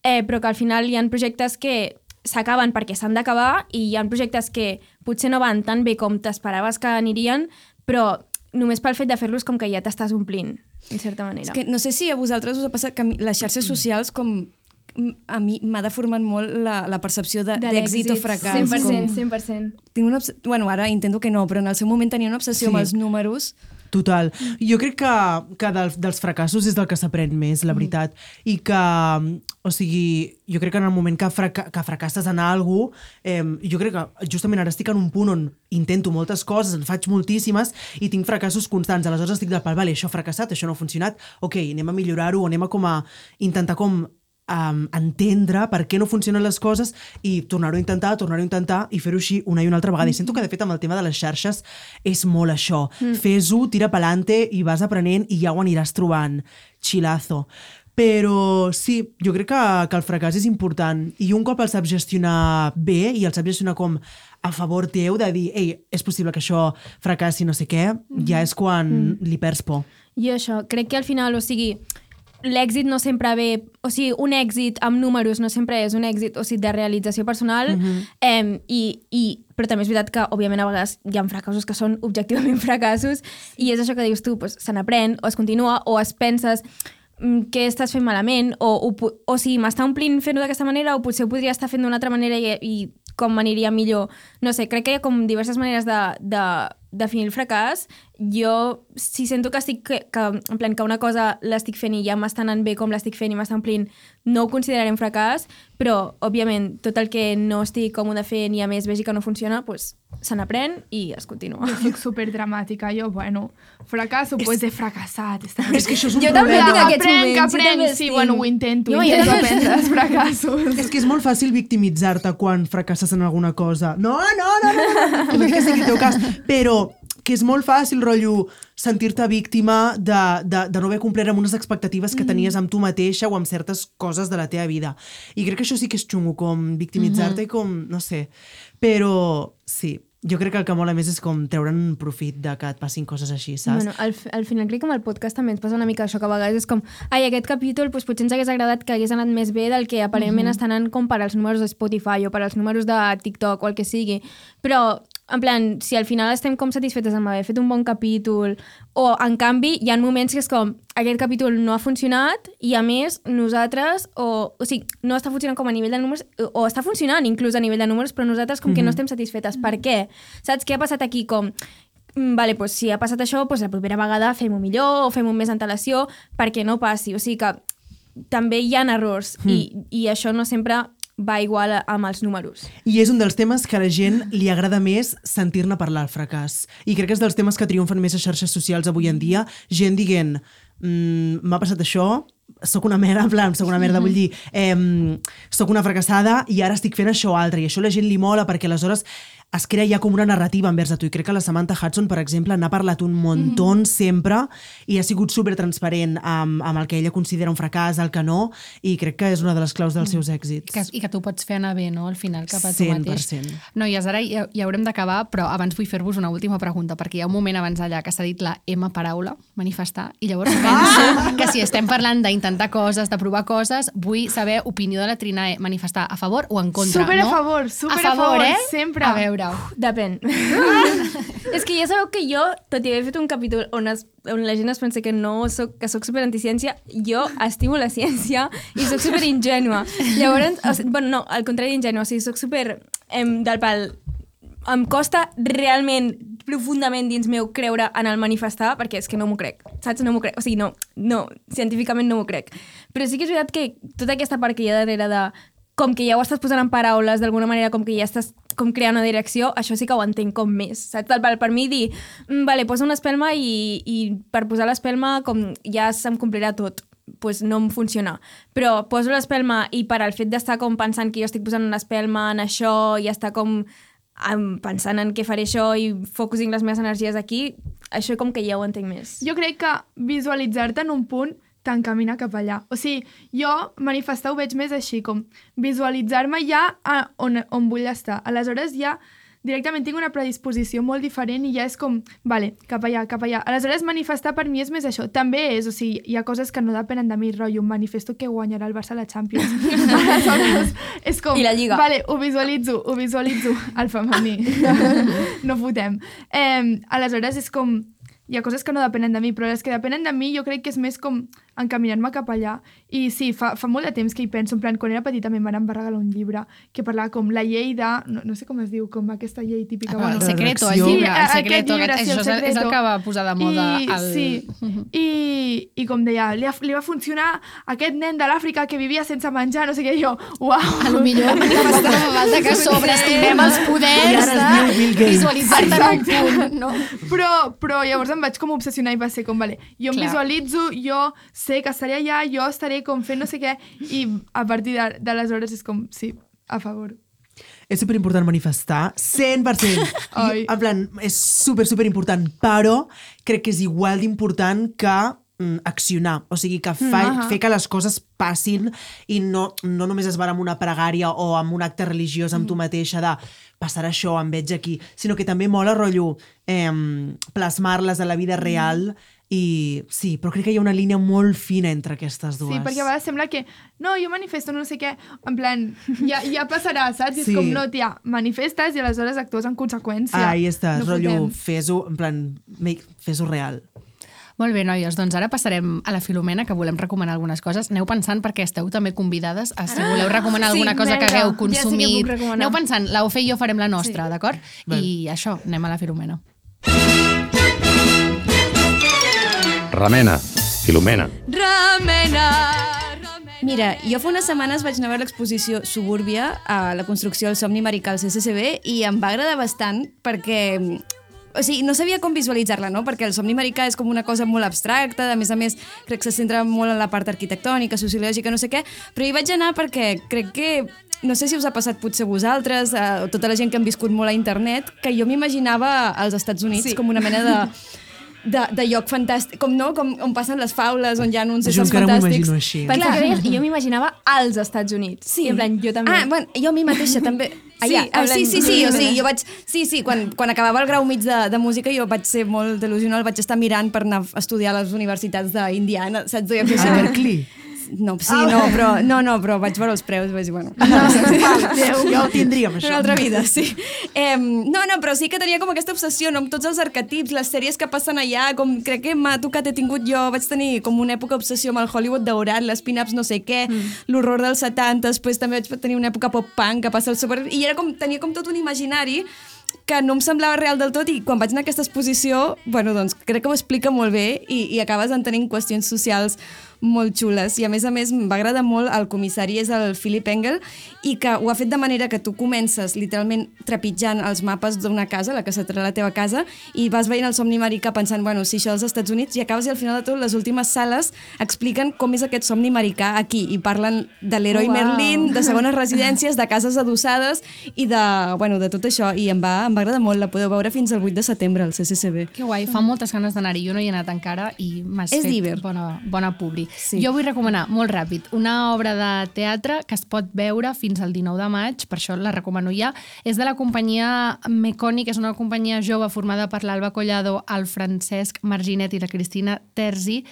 eh, però que al final hi ha projectes que s'acaben perquè s'han d'acabar i hi ha projectes que potser no van tan bé com t'esperaves que anirien, però només pel fet de fer-los com que ja t'estàs omplint, en certa manera. És que no sé si a vosaltres us ha passat que les xarxes socials com a mi m'ha deformat molt la, la percepció d'èxit o fracàs. cent per cent, com... cent per cent. Tinc una obs... Bueno, ara intento que no, però en el seu moment tenia una obsessió sí. amb els números Total. Jo crec que, que del, dels fracassos és del que s'aprèn més, la veritat. I que, o sigui, jo crec que en el moment que, fraca que fracasses en alguna cosa, eh, jo crec que justament ara estic en un punt on intento moltes coses, en faig moltíssimes i tinc fracassos constants. Aleshores estic del pal, vale, això ha fracassat, això no ha funcionat, ok, anem a millorar-ho, anem a com a intentar com Um, entendre per què no funcionen les coses i tornar-ho a intentar, tornar-ho a intentar i fer-ho així una i una altra vegada. I sento que, de fet, amb el tema de les xarxes és molt això. Mm. Fes-ho, tira pa'lante i vas aprenent i ja ho aniràs trobant. Chilazo. Però sí, jo crec que, que el fracàs és important i un cop el saps gestionar bé i el saps gestionar com a favor teu de dir, ei, és possible que això fracassi no sé què, mm. ja és quan mm. li perds por. I això, crec que al final, o sigui, l'èxit no sempre ve... O sigui, un èxit amb números no sempre és un èxit, o sigui, de realització personal, mm-hmm. eh, i, i, però també és veritat que, òbviament, a vegades hi ha fracassos que són objectivament fracassos, i és això que dius tu, pues, se n'aprèn, o es continua, o es penses què estàs fent malament, o, o, o sigui, m'està omplint fent-ho d'aquesta manera, o potser ho podria estar fent d'una altra manera i, i com m'aniria millor. No sé, crec que hi ha com diverses maneres de, de definir el fracàs. Jo, si sento que estic, que, que, en plan, que una cosa l'estic fent i ja m'està anant bé com l'estic fent i m'està omplint, no ho consideraré un fracàs, però, òbviament, tot el que no estic còmode fent i a més vegi que no funciona, pues, se n'aprèn i es continua. Jo soc superdramàtica, jo, bueno, fracasso, pues he fracassat. Està és que això és un jo problema. Jo també tinc aquests aprenc, moments. aprenc, sí, estic... bueno, ho intento, jo intento aprendre els fracassos. És que és molt fàcil victimitzar-te quan fracasses en alguna cosa. No, no, no, no, no, no. que sigui el teu cas. Però que és molt fàcil, rotllo, sentir-te víctima de, de, de no haver complert amb unes expectatives que tenies amb tu mateixa o amb certes coses de la teva vida. I crec que això sí que és xungo, com victimitzar-te i com, no sé. Però sí, jo crec que el que mola més és com treure'n un profit de que et passin coses així, saps? Bueno, al, al final crec que amb el podcast també ens passa una mica això, que a vegades és com, ai, aquest capítol pues, potser ens hagués agradat que hagués anat més bé del que aparentment mm-hmm. està anant com per als números de Spotify o per als números de TikTok o el que sigui. Però, en plan, si al final estem com satisfetes amb haver fet un bon capítol, o en canvi hi ha moments que és com, aquest capítol no ha funcionat i a més nosaltres, o, o sigui, no està funcionant com a nivell de números, o està funcionant inclús a nivell de números, però nosaltres com mm-hmm. que no estem satisfetes. Per què? Saps què ha passat aquí? Com, vale, pues, si ha passat això, pues, la propera vegada fem-ho millor o fem-ho amb més antelació perquè no passi. O sigui que també hi ha errors mm. i, i això no sempre va igual amb els números. I és un dels temes que a la gent li agrada més sentir-ne parlar, el fracàs. I crec que és dels temes que triomfen més a xarxes socials avui en dia. Gent dient, mmm, m'ha passat això, soc una merda, en plan, soc una merda, vull dir, eh, soc una fracassada i ara estic fent això altre. I això a la gent li mola perquè aleshores es crea ja com una narrativa envers a tu. I crec que la Samantha Hudson, per exemple, n'ha parlat un muntó mm-hmm. sempre i ha sigut supertransparent amb, amb el que ella considera un fracàs, el que no, i crec que és una de les claus dels seus èxits. I que, i que tu pots fer anar bé, no?, al final, cap a tu cent per mateix. cent. Noies, ara ja, ja haurem d'acabar, però abans vull fer-vos una última pregunta, perquè hi ha un moment abans allà que s'ha dit la M paraula, manifestar, i llavors penso que si estem parlant d'intentar coses, de provar coses, vull saber opinió de la Trinae, manifestar a favor o en contra, super no? a favor, super a favor, a favor, eh? sempre. A veure. Uf, depèn. És que ja sabeu que jo, tot i haver fet un capítol on, es, on la gent es pensa que no soc, que soc super anti-ciència, jo estimo la ciència i soc super ingènua. Llavors, o sigui, bueno, no, al contrari d'ingènua, o sigui, soc super em, del pal. Em costa realment, profundament dins meu, creure en el manifestar, perquè és que no m'ho crec, saps? No m'ho crec, o sigui, no, no, científicament no m'ho crec. Però sí que és veritat que tota aquesta part que hi ha darrere de com que ja ho estàs posant en paraules, d'alguna manera, com que ja estàs com creant una direcció, això sí que ho entenc com més, saps? Per mi dir, mm, vale, posa una espelma i, i per posar l'espelma com ja se'm complirà tot, pues no em funciona. Però poso l'espelma i per al fet d'estar com pensant que jo estic posant una espelma en això i estar com pensant en què faré això i focusing les meves energies aquí, això com que ja ho entenc més. Jo crec que visualitzar-te en un punt t'encamina cap allà. O sigui, jo manifestar ho veig més així, com visualitzar-me ja a on, on vull estar. Aleshores ja directament tinc una predisposició molt diferent i ja és com, vale, cap allà, cap allà. Aleshores manifestar per mi és més això. També és, o sigui, hi ha coses que no depenen de mi, rotllo, manifesto que guanyarà el Barça a la Champions. Aleshores és com, I la Lliga. Vale, ho visualitzo, ho visualitzo, el femení. No fotem. Eh, aleshores és com, hi ha coses que no depenen de mi, però les que depenen de mi jo crec que és més com encaminar-me cap allà. I sí, fa, fa molt de temps que hi penso, en plan, quan era petita me van regalar un llibre que parlava com la llei de... No, no sé com es diu, com aquesta llei típica. Ah, bueno, el secreto, el llibre, el secreto, llibre, sí, el això secreto. és el que va posar de moda. I, el... Sí, I, i com deia, li, ha, li va funcionar aquest nen de l'Àfrica que vivia sense menjar, no sé què, jo, uau. A lo millor tampoc no fa falta que sobreestimem els poders de visualitzar-te en un punt, no? Però, però llavors em vaig com obsessionar i va ser com, vale, jo em Clar. visualitzo, jo sé que estaré allà, jo estaré com fent no sé què, i a partir de- d'aleshores és com, sí, a favor. És superimportant manifestar, cent per cent. Ai. I, en plan, és super, superimportant, però crec que és igual d'important que mm, accionar. O sigui, que fa, Mm, fer que les coses passin i no, no només es va amb una pregària o amb un acte religiós amb tu mateixa de passarà això, em veig aquí, sinó que també mola, rotllo, eh, plasmar-les a la vida real. I sí, però crec que hi ha una línia molt fina entre aquestes dues. Sí, perquè a vegades sembla que no, jo manifesto no sé què, en plan, ja, ja passarà, saps? I és Sí. com, no, tia, manifestes i aleshores actues en conseqüència. Ahí estàs, No rotllo, fotem. fes-ho, en plan, make- fes-ho real. Molt bé, noies, doncs ara passarem a la Filomena, que volem recomanar algunes coses. Aneu pensant, perquè esteu també convidades a si voleu recomanar sí, alguna cosa que vinga, hagueu ja sí que puc consumit. recomanar. Aneu pensant, la Ofe i jo farem la nostra, Sí. d'acord? I això, anem a la Filomena. Remena, Filomena. Mira, jo fa unes setmanes vaig anar a veure l'exposició Subúrbia a la construcció del somni americà al C C C B i em va agradar bastant perquè o sigui, no sabia com visualitzar-la, no? Perquè el somni americà és com una cosa molt abstracta, a més a més crec que se centra molt en la part arquitectònica, sociològica, no sé què, però hi vaig anar perquè crec que no sé si us ha passat potser a vosaltres, a tota la gent que han viscut molt a internet, que jo m'imaginava als Estats Units Sí. com una mena de, de, de lloc fantàstic, com no? Com, on passen les faules, on hi ha uns Jo éssers encara m'ho fantàstics. imagino així. Pensa que deies, jo m'imaginava als Estats Units. Sí. I en plan, jo també. Ah, bueno, jo a mi mateixa també. Sí, Allà, ah, sí, sí, sí, o hablem- sigui, jo vaig... Sí, sí, quan, quan acabava el grau mig de, de música jo vaig ser molt delusional, vaig estar mirant per anar a estudiar a les universitats d'Indiana, saps? Jo A Berkeley. No, sí, no, però, no, no, però vaig veure els preus i vaig dir, bueno... Ja ho tindríem, això. Una altra vida, sí. Eh, no, no, però sí que tenia com aquesta obsessió, no, amb tots els arquetips, les sèries que passen allà, com crec que m'ha tocat, he tingut jo, vaig tenir com una època obsessió amb el Hollywood daurat, les pin-ups no sé què, mm. l'horror dels setanta, després també vaig tenir una època pop-punk que passa al super... I era com, tenia com tot un imaginari que no em semblava real del tot i quan vaig anar a aquesta exposició, bueno, doncs crec que ho explica molt bé i, i acabes entenent qüestions socials molt xules i a més a més em va agradar molt el comissari és el Philip Engel i que ho ha fet de manera que tu comences literalment trepitjant els mapes d'una casa, la que serà la teva casa i vas veient el somni americà pensant bueno, si això dels Estats Units i acabes i al final de tot les últimes sales expliquen com és aquest somni americà aquí i parlen de l'heroi Oh, wow. Merlin, de segones residències, de cases adossades i de, bueno, de tot això i em va, em va agradar molt, la podeu veure fins al vuit de setembre al C C C B. Que guai, fa moltes ganes d'anar-hi. Jo no hi he anat encara i m'has És fet diver. bona, bona publi. Sí. Jo vull recomanar, molt ràpid, una obra de teatre que es pot veure fins al dinou de maig, per això la recomano ja. És de la companyia Mecònic, és una companyia jove formada per l'Alba Collado, el Francesc Marginet i la Cristina Terzi,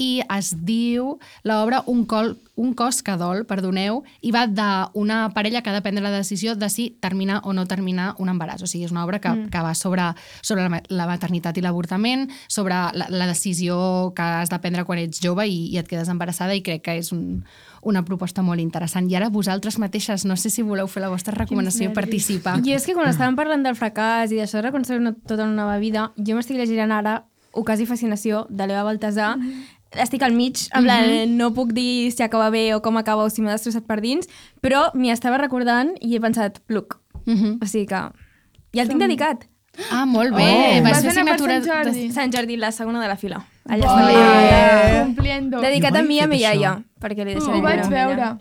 i es diu l'obra Un, col, un cos que dol, perdoneu, i va d'una parella que ha de prendre la decisió de si terminar o no terminar un embaràs. O sigui, és una obra que, mm. que va sobre, sobre la, la maternitat i l'avortament, sobre la, la decisió que has de prendre quan ets jove i, i et quedes embarassada i crec que és un, una proposta molt interessant. I ara vosaltres mateixes, no sé si voleu fer la vostra recomanació i participar. Jo és que quan estàvem parlant del fracàs i d'això de reconstruir una, tota una nova vida, jo m'estic llegint ara Ocàs i fascinació, de l'Eva Baltasar. Estic al mig, en plan, no puc dir si acaba bé o com acaba o si m'ha destrossat per dins, però m'hi estava recordant i he pensat, pluc. Uh-huh. O sigui que ja el tinc dedicat. Ah, molt bé. Oh. Vas Vas fer anar per assignatura... Sant Jordi? Sant Jordi, la segona de la fila. Allà Oh, està la eh, Cumpliendo. Dedicat Jo a mai mi i he a mi fet iaia, això. perquè li Ho deixaré vaig llibre amb veure. ella.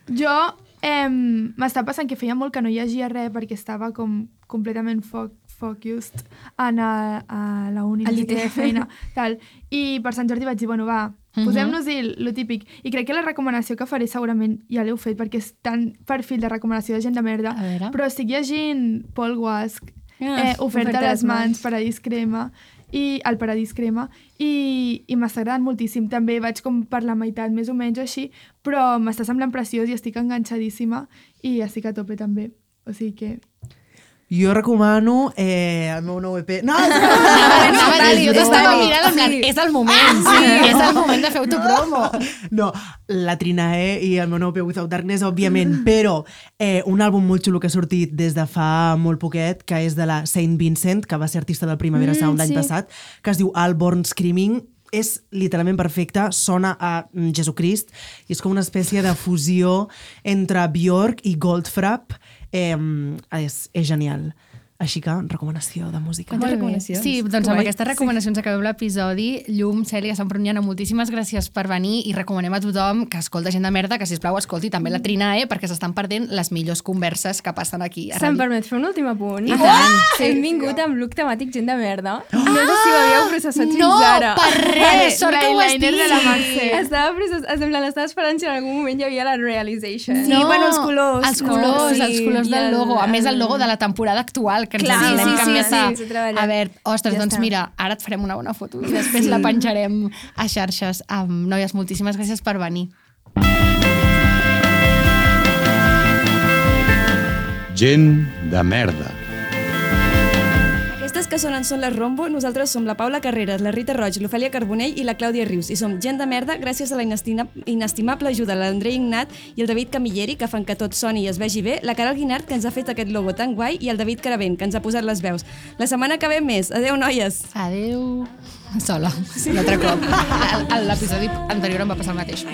Jo eh, m'està passant que feia molt que no llegia res perquè estava com completament fo focused en a, a la uni, A no sé l'I T. què, feina, tal. I per Sant Jordi vaig dir, bueno, va, posem-nos-hi lo típic. I crec que la recomanació que faré segurament ja l'heu fet perquè és tan perfil de recomanació de gent de merda. A veure. Però estic llegint Paul Guasc, Ah, eh, Oferta a les mans, Paradís Crema, i el Paradís Crema, i, i m'està agradant moltíssim. També vaig com per la meitat, més o menys així, però m'està semblant preciós i estic enganxadíssima i estic a tope també. O sigui que... Jo recomano eh, el meu nou E P. No, Anava a dir, jo t'estava mirant en plan, és el moment, sí, és el moment de fer autopromo. No, la Trinae i el meu nou E P Without Darkness, òbviament, però eh, un àlbum molt xulo que ha sortit des de fa molt poquet, que és de la Saint Vincent, que va ser artista del Primavera Sound l'any sí. passat, que es diu All Born Screaming. És literalment perfecte, sona a Jesucrist i és com una espècie de fusió entre Björk i Goldfrapp. Eh, és, és genial. Així que, recomanació de música. Quantes recomanacions? Sí, doncs amb Guai. aquestes recomanacions sí. acabem l'episodi. Llum, Cèlia, Sant Pruniana, moltíssimes gràcies per venir i recomanem a tothom que escolta Gent de Merda, que sisplau escolti també la Trinae, perquè s'estan perdent les millors converses que passen aquí. Se'm permet fer un últim apunt? I tant. Oh! Hem vingut amb look temàtic Gent de Merda. No sé si ho havíeu processat fins No, ara. per res, sort que ho has L'eyeliner de la dit. Mercè. Estava processant, semblant, estava esperant si en algun moment hi havia la realization. Sí, bueno, els colors, Els no? colors, Sí. els colors I del el- logo. A més, el logo de la temporada actual, que ens Clar, n'hem sí, sí, canviat sí, a- s'ha treballat. A veure, ostres, Ja doncs està. mira, ara et farem una bona foto i després la penjarem a xarxes. Um, noies, moltíssimes gràcies per venir. Gent de merda. Aquestes que sonen són les Rombo, nosaltres som la Paula Carreras, la Rita Roig, l'Ofèlia Carbonell i la Clàudia Rius, i som Gent de Merda gràcies a la inestima- inestimable ajuda de l'Andrei Ignat i el David Camilleri, que fan que tot soni i es vegi bé, la Caral Guinart, que ens ha fet aquest logo tan guai, i el David Caravent, que ens ha posat les veus. La setmana que ve més. Adéu, noies! Adéu. Sola, un altre cop. A l'episodi anterior em va passar el mateix.